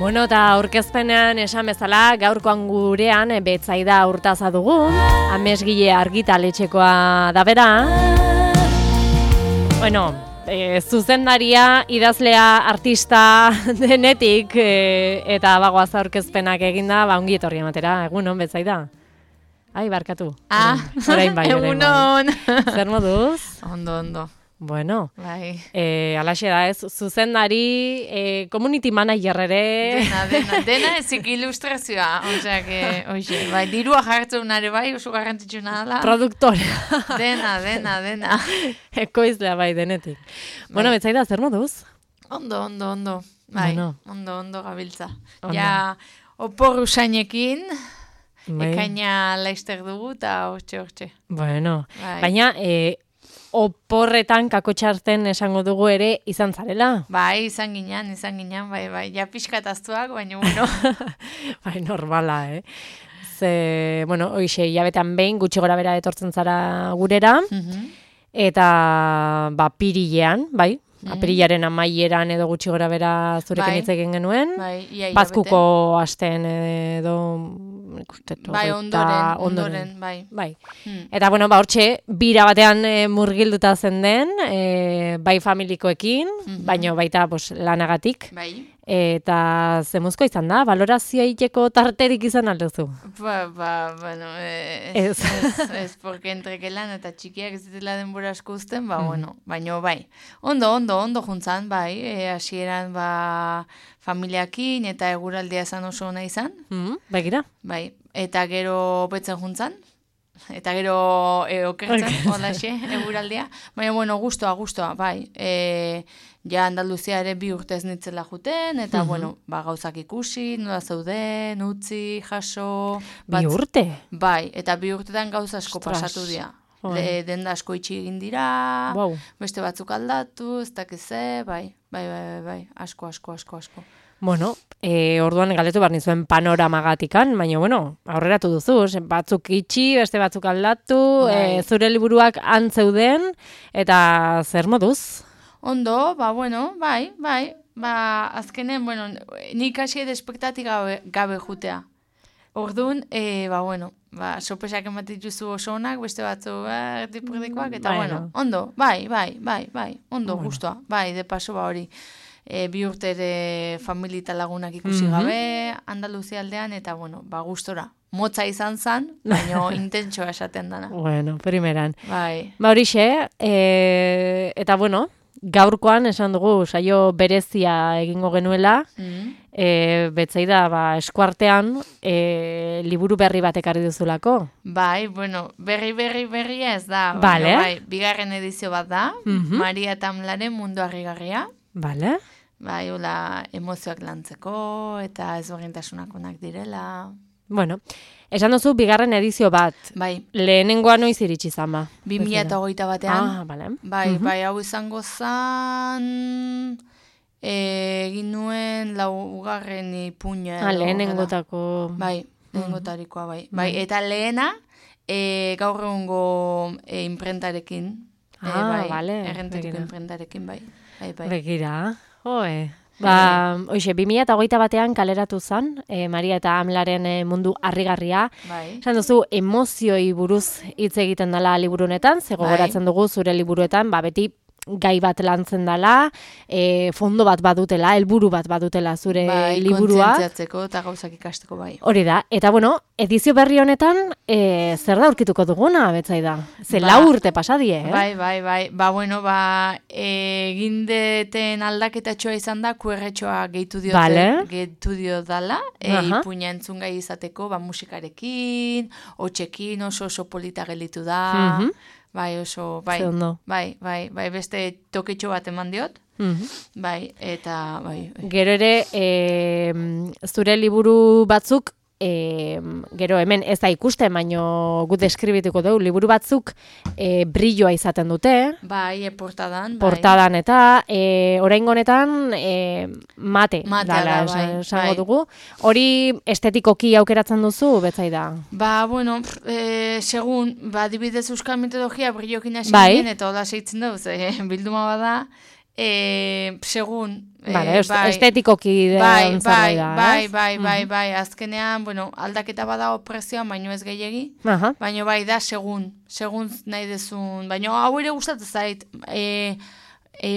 Bueno, eta aurkezpenean esan bezala, gaurkoan gurean Betsaida Urtaza dugu, amesgile argitaletxekoa da bera. Bueno, zuzendaria, idazlea, artista denetik, eta bagoaz aurkezpenak eginda, ongi etorri ematera, egunon Betsaida? Ai, barkatu. Orain bai. Egunon. Zer moduz? Ondo. Bueno, bai. Alaxe da ez, zuzendari, community manager ere. Dena ezik ilustrazioa, oseak, bai, dirua jartzen nare bai, oso garrantzitsu nada. Produktorea. Dena. Ekoizlea bai, denetik. Bai. Bueno, Betsaida, zer moduz? Ondo. Bai, bueno. Ondo gabiltza. Ja, opor usainekin, ekaina laizter dugu, eta hortxe. Bueno, bai. Baina, oporretan kakotxarten esango dugu ere izan zarela. Bai, izan ginen, bai. Ja pixkataztuak, baina bueno. Bai, normala, Ze, bueno, hoxe, hilabetean behin gutxi gora bera etortzen zara gurera, eta, pirilean, bai, apirilaren amaieran edo gutxi gora bera zurekin hitz egin genuen, Bazkuko asten edo ikustetu. Bai, ondoren, bai. Eta, bueno, hortxe, bira batean murgilduta zen den, bai familikoekin, baino baita lanagatik. Bai. Eta zemuzko izan da, balorazioa iteko tarterik izan alduzu? Bueno, ez porque entrekelan eta txikiak ez ditela denbora asko uzten, bueno, baino bai. Ondo juntzan, bai, hasieran familiakin eta eguraldia zan oso ona izan. Begira? Bai, eta gero betzen juntzan. Eta gero okertzen, holaxe, eguraldia. Baina, bueno, gustoa, bai. Ja Andaluzia ere 2 urte ez nitzela juten, eta, bueno, gauzak ikusi, nola zeuden, utzi, jaso. 2 urte? Bai, eta 2 urtetan gauza asko pasatu dira. Denda asko itxi egin dira, beste batzuk aldatu, ez dakize, bai, asko. Bueno, orduan galdetu behar nizuen panoramagatikan, baina, bueno, aurreratu duzu, batzuk itxi, beste batzuk aldatu, zure liburuak antzeuden, eta zer moduz? Ondo, bueno, bai, azkenen, bueno, nik hasi espektatik gabe jutea. Orduan, bueno, sorpresak ematituzu oso onak, beste batzu erdipurdikoak, eta, bueno, ondo, bai, ondo, gustoa, bai, de paso hori. 2 urte ere familita lagunak ikusi gabe, Andaluzia aldean, eta, bueno, gustora. Motza izan zan, baina intentsoa esaten dana. Bueno, primeran. Bai. Horixe, eta, bueno, gaurkoan esan dugu saio berezia egingo genuela, Betsaida, eskuartean, liburu berri bat ekarri duzulako. Bai, bueno, berri ez da. Vale. Bai, 2. edizio bat da, Maria Tamlaren Mundu Harrigarria. Vale. Bai, hola, emozioak lantzeko, eta ezberdintasunak onak direla. Bueno, esan duzu 2. edizio bat. Bai. Lehenengoa noiz iritsi zan ba? 2021 batean. Bale. Bai, hau izango zan, egin nuen 4. ipuña. Lehenengotako. Bai, lehenengotarikoa, bai. Bai, eta lehena, gaur egungo imprentarekin. Bale. Errenteriko imprentarekin, bai. Begira, hoxe, 2021 batean kaleratu zen, Maria eta Amlaren Mundu Harrigarria. Esan duzu, emozioi buruz hitz egiten dela liburu honetan, gogoratzen dugu zure liburuetan, beti gai bat lantzen dela, fondo bat badutela, helburu bat badutela zure liburua. Kontzientziatzeko eta gauzak ikasteko, bai. Hori da, eta bueno, edizio berri honetan, zer da aurkituko duguna, Betsaida? 4 urte pasadie, Bai. Bueno, egindeten aldaketatxoa izan da, QR-txoa gehitu dio dala, ipuina entzun gai izateko, musikarekin, hotxekin, oso polita gelitu da, bai, oso, bai, beste toketxo bat eman diot, bai, eta, bai. Gero ere, zure liburu batzuk, gero hemen ez da ikusten, baino gu deskribituko dugu, liburu batzuk brilloa izaten dute. Bai, portadan. Portadan eta oraingo honetan mate dala esango dugu. Hori estetikoki aukeratzen duzu, Betsaida? Bueno, segun, adibidez euskal mitologia brillokin hasi ginen, eta hola seitzen dugu, bilduma bada, Segun. Vale, estetikoki zerbait da. Bai, azkenean, bueno, aldaketa bada prezioan, baino ez gehiegi, baino bai da segun nahi dezun, baino hau ere gustatzen zait,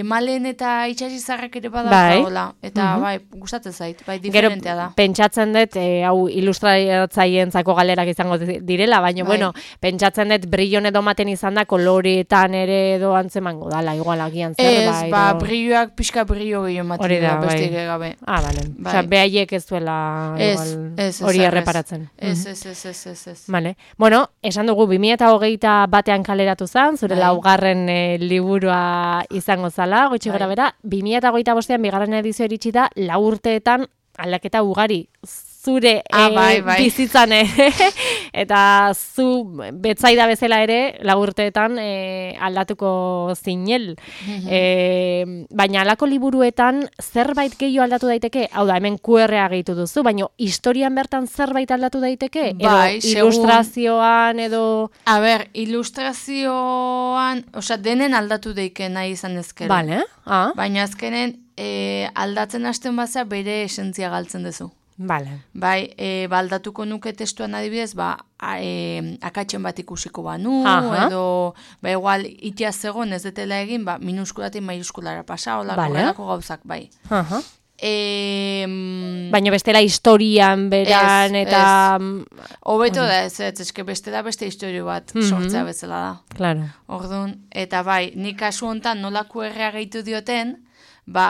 malen eta itxasizarrak ere badaukagola, eta bai, gustatzen zait, bai, diferentea da. Gero, pentsatzen dut, hau ilustratzaileentzako galerak izango direla, baina, bueno, pentsatzen dut brillon edo maten izan da, koloretan ere edo antzemango dala, igual agian zerbait. Ez, brilloak pixka brillo gehiago maten da, bestik gabe. Ah, bale. Osa, behaiek ez duela hori erreparatzen. Ez. Vale. Bueno, esan dugu, 2021 kaleratu zen, zure laugarren liburua izango zala, goitxi gora bera, 2025an bigarren edizio iritsi da, 4 urteetan aldaketa ugari zure bizitzan eta zu betzaida bezala ere 4 urteetan aldatuko zinel. Baina alako liburuetan zerbait gehiago aldatu daiteke? Hau da, hemen QR-a gehitu duzu, baina historian bertan zerbait aldatu daiteke? Edo ilustrazioan edo... A ber, ilustrazioan, osea, denen aldatu daike nahi izan ezkero. Vale. Baina azkenen aldatzen hasten baza bere esentzia galtzen duzu. Vale. Bai, aldatuko nuke testuan adibidez, akatzen bat ikusiko banu, edo, igual, itia zegoen ez detela egin, minuskulatik maiuskulara pasa, horrelako gauzak, bai. Baina bestela historian beran eta... Hobeto da eske bestela beste historio bat sortzea bezala da. Claro. Orduan, eta bai, nik kasu hontan nola QR-a gehitu dioten,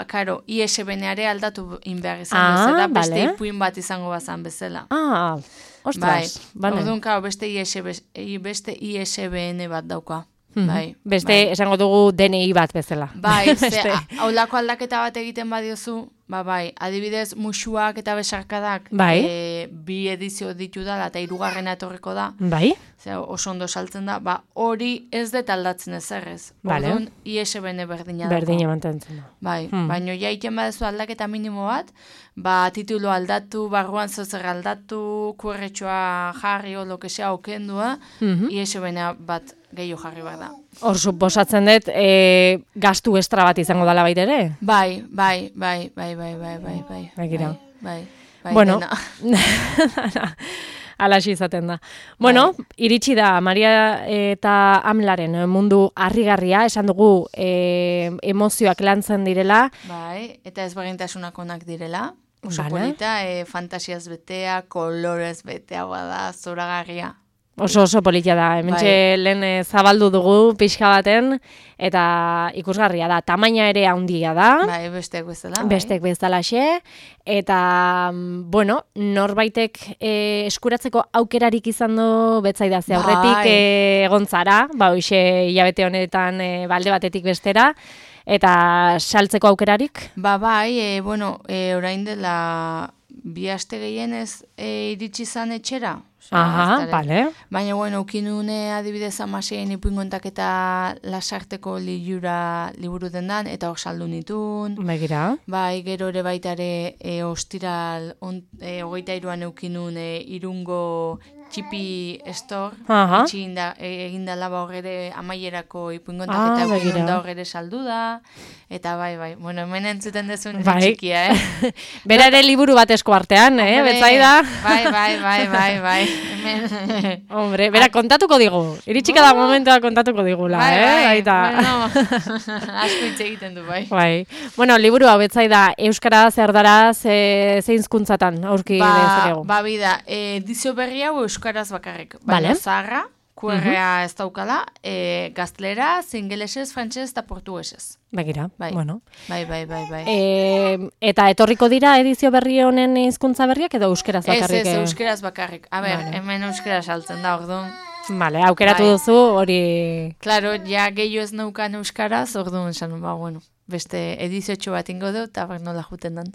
karo, ISBN-are aldatu inbehar izan bezala, beste ipuin bat izango bazan bezala. Ostras, bale. Orduan, karo, beste ISBN bat dauka. Beste, esango dugu DNI bat bezala. Bai, haulako aldaketa bat egiten badiozu, adibidez, musuak eta besarkadak bi edizio ditu dala eta 3. etorriko da. Bai. Oso ondo saltzen da, hori ez dut aldatzen ezerrez. Orduan, ISBN berdina da. Berdina mantentzen da. Bai, baina jaiten badezu aldaketa minimo bat, titulo aldatu, barruan zozer aldatu, QR-txoa jarri o lokesea okendua, ISBN bat gehiago jarri behar da. Hor, suposatzen dut, gastu estra bat izango dala baita ere? Bai. Bueno, alaxi izaten da. Bueno, iritsi da, Maria eta Amlaren mundu harrigarria, esan dugu emozioak lantzen direla. Bai, eta ezberdintasunak onak direla. Oso polita, fantasiaz betea, kolorez betea bada, zoragarria. Oso politia da, hementxe lehen zabaldu dugu pixka baten, eta ikusgarria da, tamaina ere handia da. Bai, besteak bezala. Besteak bezalaxe, eta, bueno, norbaitek eskuratzeko aukerarik izan du betzaida ze aurretik egontzara, hoxe hilabete honetan balde batetik bestera, eta saltzeko aukerarik? Orain dela 2 aste gehienez iritsi zan etxera. Bale. Baina, ukinune adibidez 16 ipuingontak eta lasarteko liburu dendan, eta hor saldu nitun. Begira. Bai, gero ere baitare ostiral 23an eukinun Irungo txipi store, egin dala hor ere amaierako ipuingontak eta eukinun da hor ere saldu da. Eta bai, hemen entzuten dezun txikia, Bera ere liburu bat esko artean, betzaida. Bai. Hombre, bera kontatuko digu. Iritsika da momentua kontatuko digula, Asko hitz egiten du, bai. Bueno, liburu hau betzaida euskaraz, erdaraz, zein hizkuntzatan aurki dezakegu. Bida, edizio berri hau euskaraz bakarrik. Baina zaharra, QR-a ez daukala, gazteleraz, ingelesez, frantsesez eta portugesez. Begira, bueno. Bai. Eta etorriko dira edizio berri honen hizkuntza berriak edo euskeraz bakarrik? Ez, euskeraz bakarrik. A ber, hemen euskeraz saltzen da, orduan. Vale, aukeratu duzu hori... Claro, ja gehiago ez naukan euskaraz, orduan esan, beste ediziotxo bat ingo du, eta nola juten dan.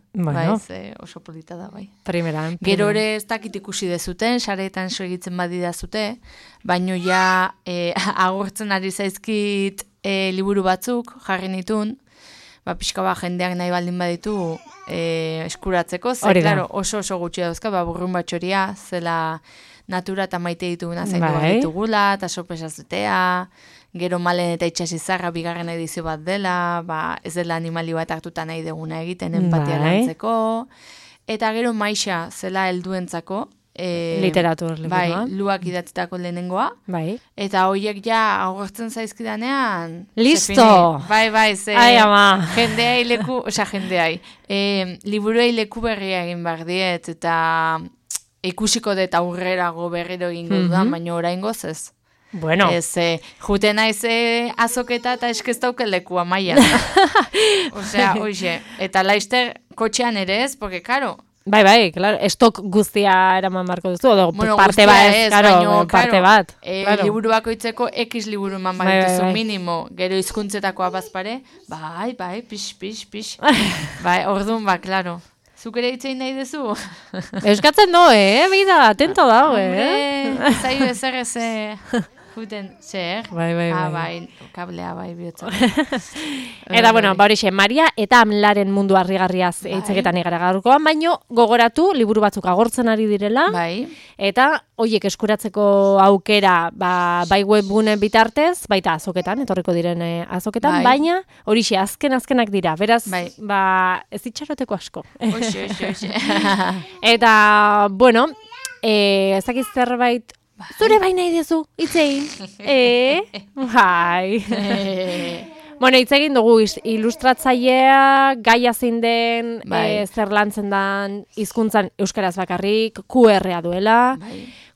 Oso polita da, bai. Primeran. Gero ere ez dakit ikusi dezuten, sareetan egitzen badida zute, baino ja agurtzen ari zaizkit liburu batzuk, jarri nitun, pixka jendeak nahi baldin baditu eskuratzeko, claro, oso gutxi dauzka, burrun batxoria, zela natura eta maite dituguna zaindu ditugula, eta sorpresa zutea, gero Malen eta Itsasizarra bigarren edizio bat dela, ez dela animali bat hartuta nahi deguna egiten empatia lantzeko, eta gero Maixa zela helduentzako, literatur liburua. Luak idatzitako lehenengoa. Bai. Eta horiek ja agortzen zaizkidanean. Listo! Bai, ze ai, ama. jendeai. Liburuei leku berria egin behar diet, eta ikusiko dut aurrerago berriro egingo dudan, baina oraingoz ez. Bueno. Ez, jute naiz azoketa eta eskez dauke lekua maia. Osea, hoxe. Eta laister kotxean ere ez, porque, karo, Bai, claro, estok guztia eraman marko duzu, edo parte bat, parte bat. Liburu bakoitzeko X liburu eman baituzu minimo, gero hizkuntzetakoa bazpare, bai, pix. Bai, orduan, claro. Zuk ere hitzein nahi duzu? Euskatzen do, bida, atento dago, Zaio ezer Juten, zer? Bai. Kablea, bihotza. Eta, bueno, horixe, Maria eta Amlaren mundu harrigarriaz hitzeketan egara gaurkoan, baino gogoratu liburu batzuk agortzen ari direla. Bai. Eta, hoiek eskuratzeko aukera, bai webgune bitartez, baita azoketan, etorriko diren azoketan, baina horixe, azkenak dira. Beraz, ez itxaroteko asko. Oxe. Eta, bueno, ezakiz zerbait, zure bai nahi dezu, itzein. Bai. Bueno, itzegin dugu ilustratzailea, gaia zein den, zer lantzen den, hizkuntzan euskaraz bakarrik, QR-a duela,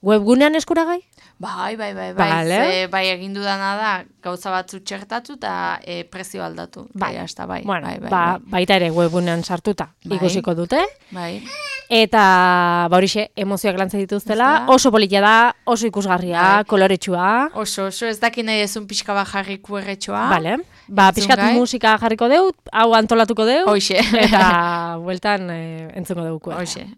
webgunean eskuragai? Bai. Bai, egin dudana da, gauza batzu txertatu eta prezio aldatu. Bai. Baita ere webgunean sartuta ikusiko dute. Bai. Eta, horixe, emozioak lantzen dituztela, oso polita da, oso ikusgarria, koloretsua. Oso, ez dakit nahi ezun pixka bat jarri QR-txoa. Bale, pixkat musika jarriko deu, hau antolatuko deu. Hoxe. Eta, bueltan, entzungo deu QR. Hoxe.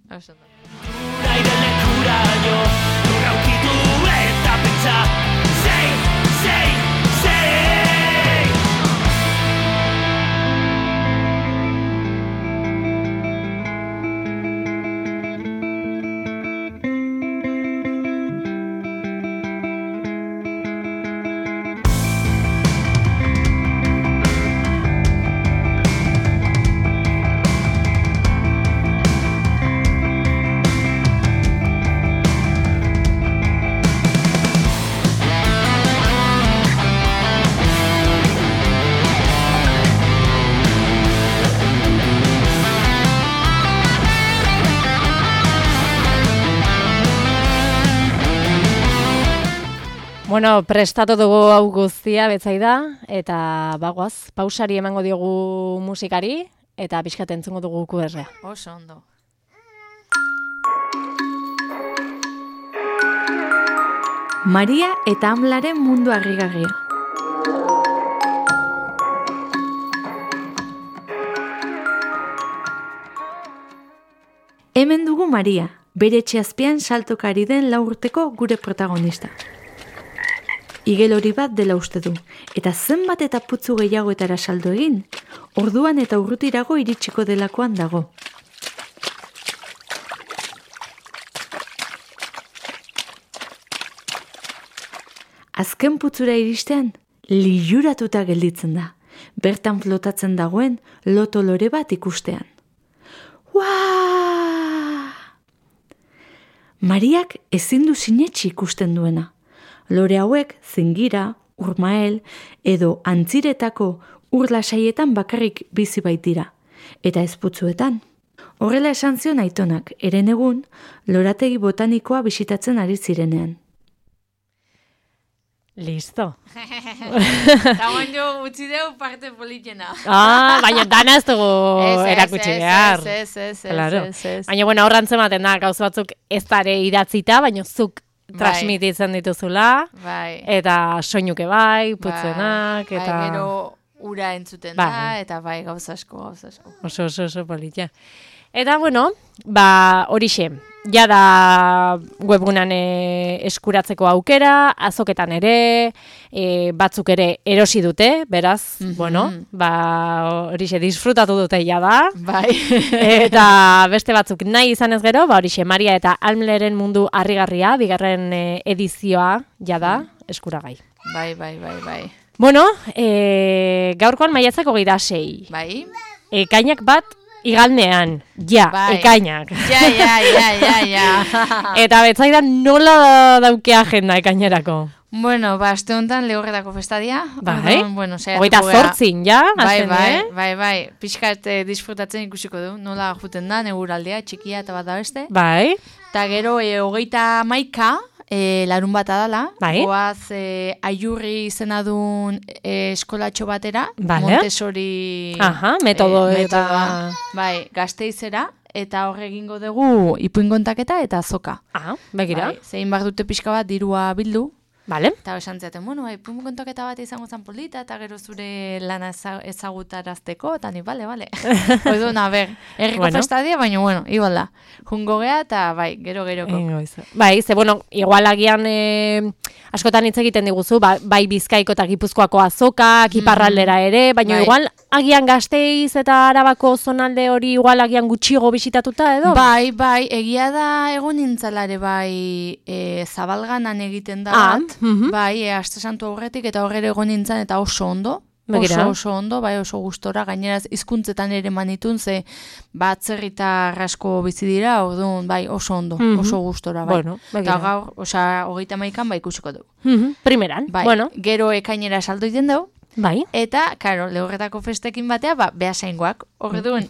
Bueno, prestatu dugu hau guztia betzaida, eta bagoaz, pausari emango diogu musikari, eta pixkat entzungo dugu QR-a. Oso ondo. Maria eta Amlaren mundu harrigarria. Hemen dugu Maria, bere etxeazpian saltokari den 4 urteko gure protagonista. Igelori bat dela uste du, eta zenbat eta putzu gehiagoetara saldo egin, orduan eta urrutirago iritsiko delakoan dago. Azken putzura iristean, liluratuta gelditzen da, bertan flotatzen dagoen loto lore bat ikustean. Uaa! Mariak ezin du sinetsi ikusten duena. Lore hauek zingira, urmael edo antziretako urlasaietan bakarrik bizi baitira, eta ez putzuetan. Horrela esan zion aitonak, eren egun, lorategi botanikoa bisitatzen ari zirenean. Listo. Eta jo utzi deu parte politena. Baina dana ez dugu erakutsi behar. Ez. Baina, bueno, horran zematen da, gauz batzuk ez dare idatzita, baina zuk transmititzen dituzula, eta soinuke putzenak, eta... gero ura entzuten da, eta gauz asko. Oso politia. Eta, bueno, horixe, jada webgunan eskuratzeko aukera, azoketan ere, batzuk ere erosi dute, beraz, bueno, horixe, disfrutatu dute jada. Eta beste batzuk nahi izan ez gero, horixe, Maria eta Amleren mundu harrigarria, bigarren edizioa jada eskuragai. bai. Bueno, gaurkoan maiatzak 26. Bai. Ekainak bat igandean. Ja, bai. Ekainak. Ja. Eta betzaidan nola dauke agenda ekainerako? Bueno, aste honetan Lehorretako festadia. Bai. Bueno, 28 ja, bai. Pixkat disfrutatzen ikusiko du. Nola juten da, neguraldea, txikia eta bat da beste. Bai. Eta gero, 31 larun bat adala. Bai. Goaz, Aiurri izena duen eskolatxo batera. Vale. Montessori metodoa. Bai, Gasteizera. Eta horre egingo dugu ipuinkontaketa eta azoka. Begira. Bai, zein behar dute pixka bat dirua bildu. Vale. Eta esan ziaten, ipuinkontoketa bat izango zen polita, eta gero zure lana ezagutarazteko, eta ni, bale. Oidun, erriko festadia, baina, igual da. Jungo gea, eta bai, geroko. Bai, igual agian askotan hitz egiten diguzu, bai Bizkaiko eta Gipuzkoako azokak, iparraldera ere, baina igual agian Gasteiz eta Arabako zonalde hori igual agian gutxigo bisitatuta edo? Bai, egia da egon nintzalare bai Zabalganan egiten da. Bai, aste santu aurretik eta horre egon nintzen eta oso ondo. Oso ondo, bai oso gustora, gaineraz hizkuntzetan ere manitun, ze atzerritar asko bizi dira, orduan, bai oso ondo, oso gustora, bai. Eta gaur, 31an bai ikusiko dugu. Primeran, bueno. Gero ekainera saldo iten dugu. Bai. Eta, karo, Lehorretako festekin batea, behasaingoak. Orduan,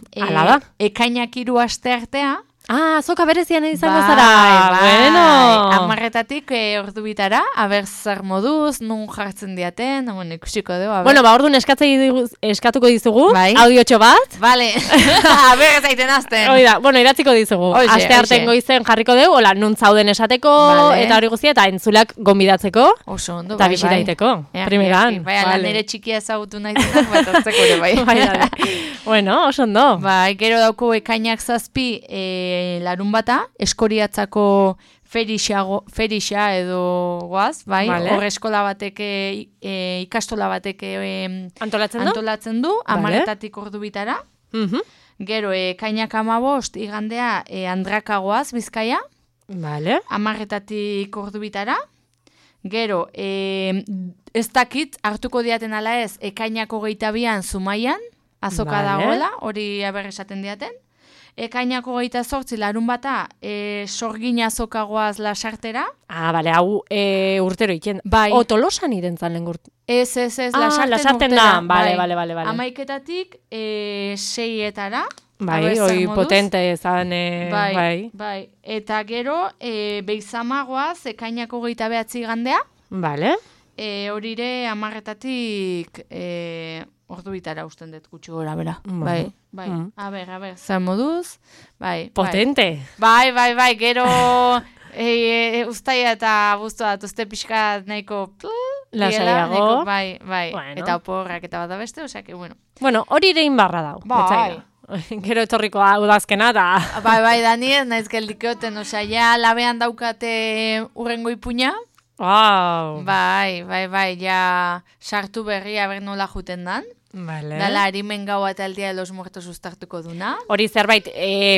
ekainak 3 aste artea, azoka berezian izango zara. Bueno. 10:00 ordu bitara, zer moduz, nun jartzen diaten, ikusiko dugu. Bueno, orduan eskatuko dizugu, audiotxo bat. Vale, zaiten azten. Oida, idatziko dizugu. Aste arten goizen jarriko dugu, nun zauden esateko, eta hori guztia, eta entzulak gonbidatzeko. Oso ondo, eta bisitaiteko. Primeran. Bai, nire txikia ezagutu nahi zenak, bat hartzeko ere, bai. Bueno, oso ondo. Bai, gero dauko ekainak 7 larun bata, Eskoriatzako ferixa edo guaz, bai, hor eskola batek, ikastola batek antolatzen du, 10:00 ordu bitara. Gero, ekainak 15 igandea Andrakagoaz, Bizkaia, 10:00 ordu bitara. Gero, ez dakit, hartuko diaten ala ez, ekainak 22an Zumaian, azoka dagoela, hori esaten diaten. Ekainak 28 larun bata, Sorgin azokagoaz Lasartera. Hau urtero iken. Bai. Tolosan irentzan lehen gurt. Ez, Lasarten urtera. Bale. 11:00 6:00 Bai, hoi potente ezan. Bai. Eta gero, Beizamagoaz, ekainak 29 igandea. Bale. Horire 10:00 ordu bitara usten dut gutxi gora, bera. Bai. A ber, zer moduz. Bai. Potente. Bai, gero ustaia eta buztua datuzte pixka nahiko lasaiago. Bai. Eta oporrak eta bat da beste, osea, bueno. Bueno, hori ere inbarra dau. Bai. Gero etorriko udazkena da. Bai, Dani, ez naiz geldikeoten, osea, ja labean daukate urrengo ipuña. Wow. Bai, ja sartu berria ber nola juten dan. Vale. Dala harimen gaua eta el Dia de los Muertos uztartuko duna. Hori zerbait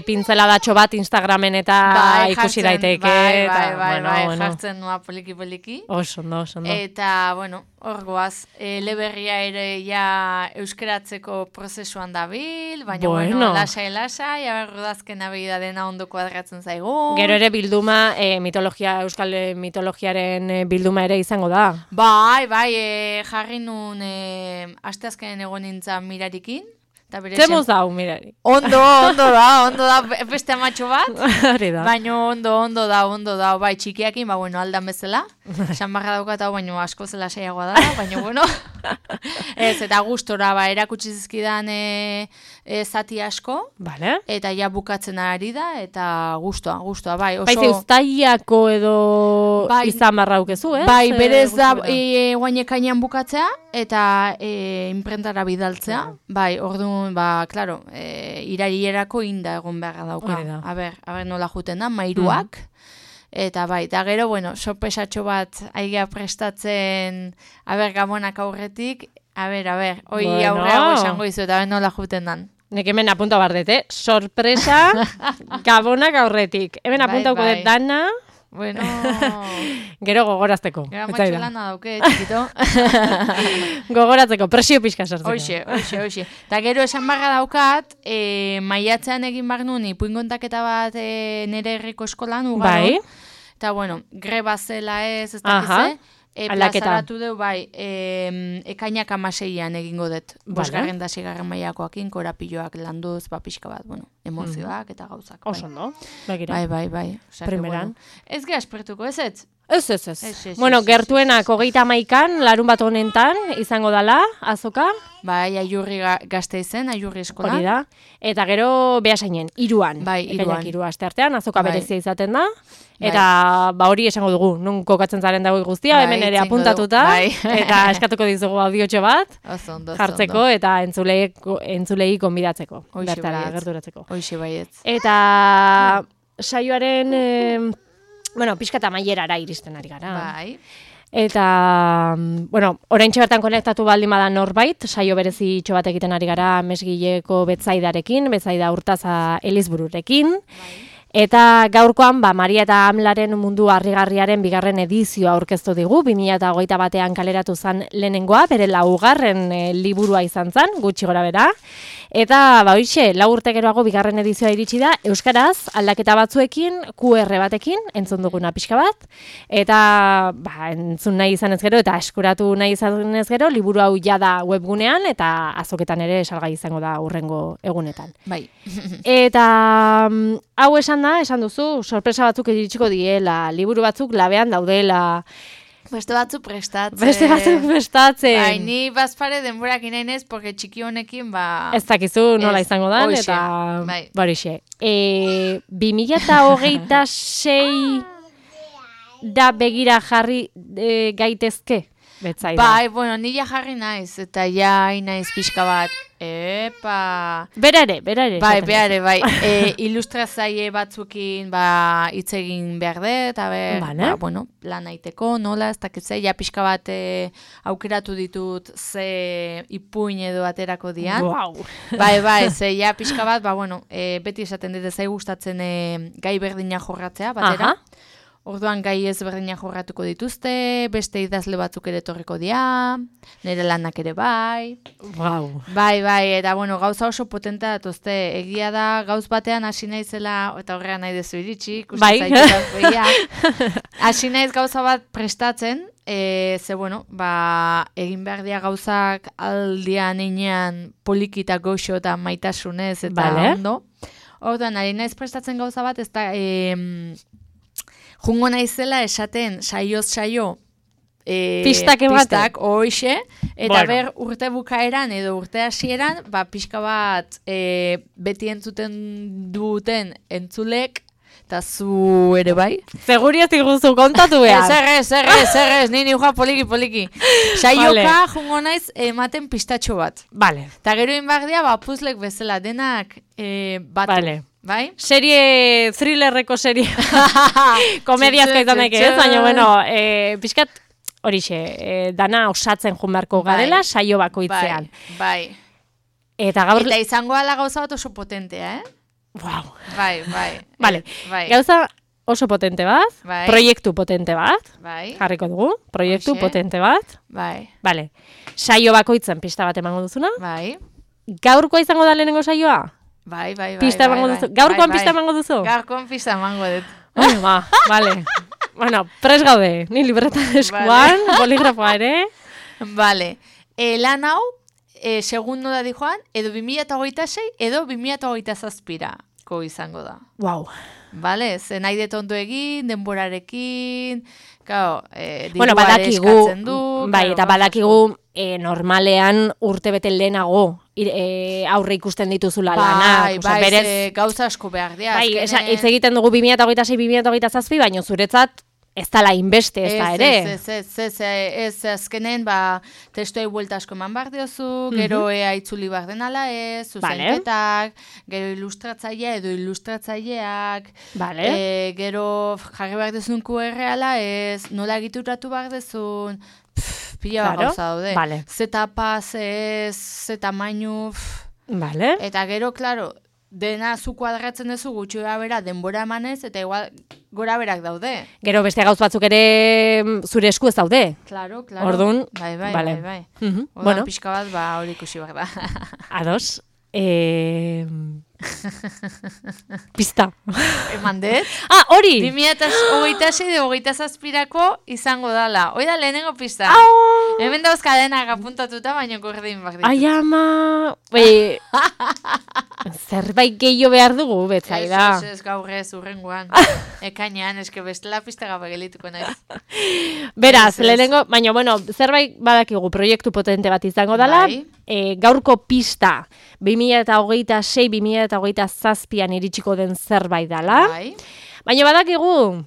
pintzeladatxo bat Instagramen eta ikusi daiteke. Bai, jartzen nua poliki. Oso ondo. Eta, hor goaz, eleberria ere ja euskeratzeko prozesuan dabil, baina lasai, aberrodazken abida dena ondo kuadratzen zaigu. Gero ere bilduma, euskal mitologiaren bilduma ere izango da. Bai, jarri nun asteazkenen egon nintzen Mirarikin. Zemuz dau, Mirari. Ondo da, beste amatxo bat. Hori da. Baina ondo da, bai, txikiakin, aldan bezala. Esan barra daukat hau, baina asko zela saiagoa da, baina Ez, eta gustora, erakutsi zizkidan zati asko. Vale. Eta ja bukatzen ari da, eta gustua, bai. Bai, zeustaiako edo izan barra aukezu, eh? Bai, berez da, guainekainan bukatzea, eta imprentara bidaltzea. Bai, orduan, klaro, irailerako inda egon beharra dauka. A ber, nola juten da, mairuak. Eta bai, eta gero, sorpresatxo bat aigea prestatzen, gamonak aurretik, hoi aurreago esango izu, eta nola juten dan. Nek hemen apunta bardete, sorpresa gabonak aurretik. Hemen apuntauko dut dana, Bueno. Gero gogorazteko. Gara matxolana dauke, txikito. Gogoratzeko, presio pixka sartzeko. Hoxe. Ta gero esan barra daukat, maiatzean egin bar nuen ipuinkontaketa bat nire herriko eskolan, ugaron. Bai. Eta bueno, greba zela ez dakize. Plazaratu deu, bai, ekainak 16an egingo dut. Bosgarren da 6garren mailakoakin, korapilloak landuz, pixka bat, bueno, emozioak eta gauzak. Oso, no? Bai. Primeran. Ez ge aspertuko, ez ez? Ez. Bueno, gertuenak 31an, larun bat honentan, izango dala, azoka. Bai, Aiurri Gasteizen, Aiurri eskolan. Hori da. Eta gero Beasainen, 3an. Bai, 3an. 3 asteartean, azoka berezia izaten da. Eta hori esango dugu, nun kokatzen zaren dago guztia, hemen ere apuntatuta. Eta eskatuko dizugu audiotxo bat, jartzeko eta entzulei konbidatzeko. Bertara, gerturatzeko. Hoxe baietz. Eta saioaren... Bueno, pixka eta mailerara iristen ari gara. Bai. Eta, bueno, oraintxe bertan konektatu baldin bada norbait, saio berezi itxo bat egiten ari gara Mesgileko Betzaidarekin, Betzaida Urtaza Elizbururekin. Bai. Eta gaurkoan, Maria eta Amlaren mundu harrigarriaren 2. edizioa aurkeztu digu, 2021an kaleratu zen lehenengoa, bere 4. liburua izan zen, gutxi gora bera. Eta, hoxe, 4 urte geroago 2. edizioa iritsi da, euskaraz, aldaketa batzuekin, QR batekin, entzun duguna pixka bat. Eta, entzun nahi izan ez gero, eta eskuratu nahi izan ez gero, liburu hau jada webgunean, eta azoketan ere salgai izango da hurrengo egunetan. Bai. Eta, hau esan duzu, sorpresa batzuk iritsiko diela, liburu batzuk labean daudela. Beste batzuk prestatzen. Bai, ni bazpare denborak inainez, porque txiki honekin, ez dakizu nola izango dan, eta barixe. 2026 da begira jarri gaitezke, Betzaida. Bai, bueno, nila jarri naiz, eta naiz pixka bat. Epa! Bera ere. Bai. Ilustratzaile batzukin hitz egin behar dut, eta plan aiteko, nola, ez dakitze, pixka bat aukeratu ditut ze ipuin edo aterako dian. Wow! Bai, ze pixka bat, beti esaten dut zai gustatzen gai berdina jorratzea, batera. Orduan gai ezberdinak jorratuko dituzte, beste idazle batzuk ere etorriko dira, nire lanak ere bai. Wow. Bai, eta gauza oso potentea datuzte. Egia da, gauz batean hasi naizela, eta horrean nahi dezu iritsi, bai. Hasi naiz gauza bat prestatzen, egin behar dira gauzak aldian einean poliki eta goxo eta maitasunez eta ondo. Orduan, ari naiz prestatzen gauza bat, ez da... Jungo naizela esaten saioz saio pistak hoxe, eta urte bukaeran edo urte hasieran, pixka bat beti entzuten duten entzulek, eta zu ere bai. Seguri ez diguzu kontatu behar. Ez, nini joa poliki. Saioka jungo naiz ematen pistatxo bat. Vale. Eta gero inbardia, puzlek bezala denak batu. Vale. Bai? Serie, thrillerreko serie. Komediazka izan daik ez, baina, pixkat horixe, dana osatzen junbarko garela, saio bakoitzean. Bai. Eta izango ala gauza bat oso potentea, Wow. Bai. Vale, gauza oso potente bat, proiektu potente bat, jarriko dugu, proiektu potente bat. Bai. Vale, saio bakoitzen pista bat emango duzuna. Bai. Gaurkoa izango da lehenengo saioa? Bai. Pista emango duzu? Gaurkoan pista emango duzu? Gaurkoan pista emango dut. Vale. Bueno, pres gaude, ni libreta eskuan, boligrafoa ere. Vale. Lan hau, segundo da di joan, edo 2026, edo 2027ko izango da. Wow. Vale, zen nahi detondu egin, denborarekin, badakigu, eta badakigu normalean urte bete lehenago aurre ikusten dituzula lanak. Bai, gauza asko behar dira. Bai, hitz egiten dugu 2026-2027, baina zuretzat ez dala inbeste, ez da ere. Ez, azkenen, testuei buelta asko eman behar diozu, gero itzuli behar denala ez, zuzenketak, gero ilustratzailea edo ilustratzaileak, gero jarri behar dezun QR-ala ez, nola egituratu behar dezun, pila bat gauza daude. Zeta pas ez, zeta mainu, eta gero, klaro, dena zu kuadratzen duzu gutxi bera denbora emanez, eta igual gora berak daude. Gero beste gauz batzuk ere zure esku ez daude. Claro. Ordun, bai. Bueno, pixka bat, hori ikusi behar da. Ados. Pista. Eman dut? Hori! 2026-2027 izango dala. Hoi da lehenengo pista. Hemen dauz kadenak apuntatuta, baina gordin bak ditu. Ai, ama! Zerbait gehiago behar dugu, betzaida. Ez gaurrez urrengoan. Ekainean, eske bestela pista gabe gelituko naiz. Beraz, lehenengo, baina, bueno, zerbait badakigu proiektu potente bat izango dala. Gaurko pista 2026-2027an iritsiko den zerbait dala. Baina badakigu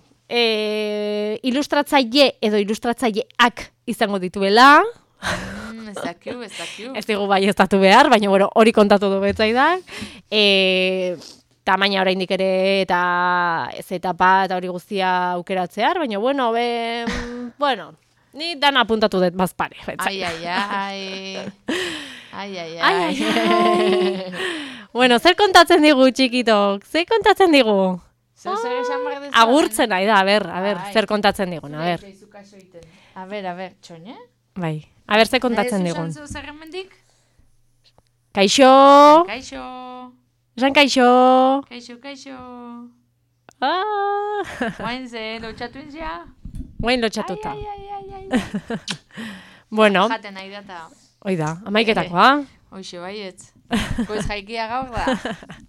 ilustratzaile edo ilustratzaileak izango dituela. Ez dakiu. Ez digu bai ez datu behar, baina bueno, hori kontatu du betzaidak. Tamaina oraindik ere eta ez etapa eta hori guztia aukeratzear, baina bueno, bueno, ni dan apuntatu dut bazpare. Ai. Bueno, zer kontatzen digu txikitok? Zer kontatzen digu? Agurtzen nahi da, a ber, zer kontatzen digun, a ber. A ber, txone? Bai, a ber, zer kontatzen digun. Zuzan zu zerremendik? Kaixo! Esan kaixo! Kaixo! Guain ze, lotxatu inzia? Guain lotxatuta. Bueno. Jaten nahi data. Oida, amaiketakoa. Hoxe, baietz. Koiz jaikia gaur da.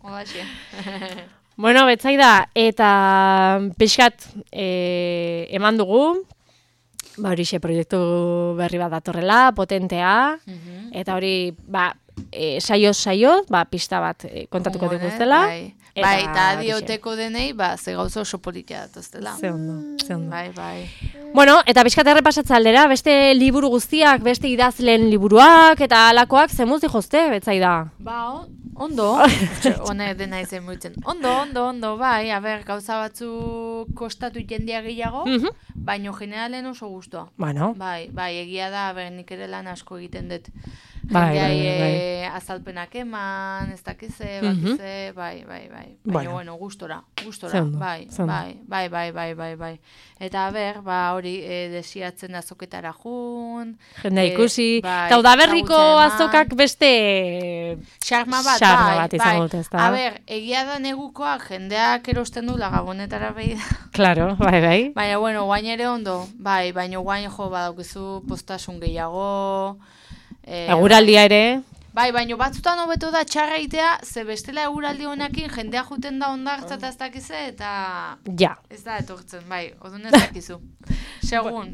Odaxe. Bueno, betzaida, eta pixkat eman dugu, horixe proiektu berri bat datorrela, potentea, eta hori, saio, pista bat kontatuko diguztela. Bai, eta adioteko denei, ze gauza oso politia datoztela. Ze ondo. Bai. Bueno, eta pixkat errepasatza aldera, beste liburu guztiak, beste idazleen liburuak, eta alakoak zemuz dijozte, betzaida. Ondo, honek dena izen muitzen. Ondo, bai, gauza batzu kostatu jendia gehiago, baino generalen oso guztua. Bueno. Bai, egia da, nik ere lan asko egiten dut. Bai. Azalpenak eman, ez dakize, bakize, bai. Baina, bueno, gustora, bai. Eta hori, desiatzen azoketara jun. Jendea ikusi, eta udaberriko azokak beste xarma bat izango dut, ez da. Egia da negukoak jendeak erosten du lagabonetara behi da. Claro, bai. Baina, bueno, guain ere ondo, bai, baina guain badaukizu postasun gehiago. Eguraldia ere. Bai, baina batzutan hobeto da txarra itea, ze bestela eguraldi honekin jendea juten da ondartza eta ez dakize, eta... Ja. Ez da etortzen, bai, odun ez dakizu. Segun.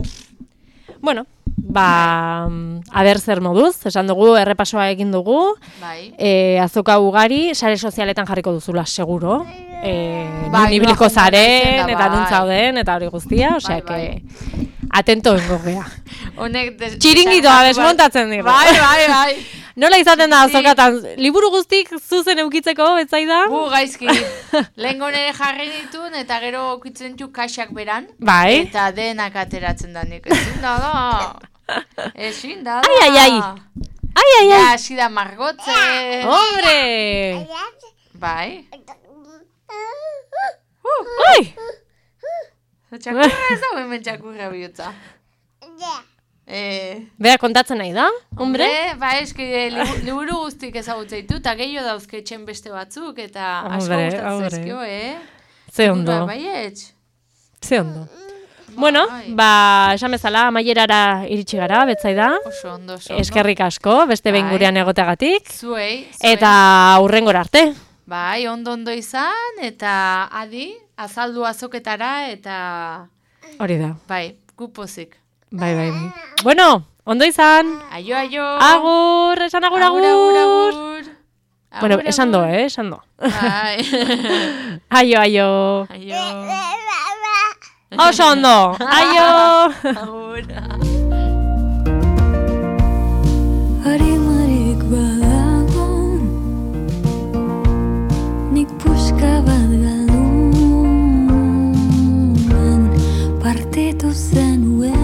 Bueno, aber zer moduz, esan dugu, errepasoa egin dugu. Bai. Azoka ugari, sare sozialetan jarriko duzula, seguro. Nibiliko zaren, eta nuntzauden, eta hori guztia, osea, que... Atento bengo gea. Txiringitoa desmontatzen digu. Bai. Nola izaten da azokatan, liburu guztik zuzen eukitzeko, betzaida? Gaizki. Lehengo nire jarri ditun, eta gero eukitzen du kaxak beran. Bai. Eta denak ateratzen da nik. Ezin da. Ai. Ja, hasi da margotzen. Hombre! Bai. Oi! Txakurra ez dago hemen txakurra bihotza. Bera kontatzen nahi da, hombre? Eski liburu guztik ezagutzen ditu, eta gehiago dauzketxen beste batzuk, eta asko gustatzen ezkio, Ze ondo. Ze ondo. Bueno, esan bezala, amaierara iritsi gara, betzaida. Oso ondo. Eskerrik asko, beste behin gurean egoteagatik. Zuei. Eta hurrengora arte. Bai, ondo izan, eta adi, azaldu azoketara, eta... Hori da. Bai, gupozik. Bai. Bueno, ondo izan. Aio. Agur, esan agur. Bueno, esan do, esan do. Bai. Aio. Oso ondo. Aio. Agur. Harimarik badagon, nik puska bat galduan, partitu zenuen.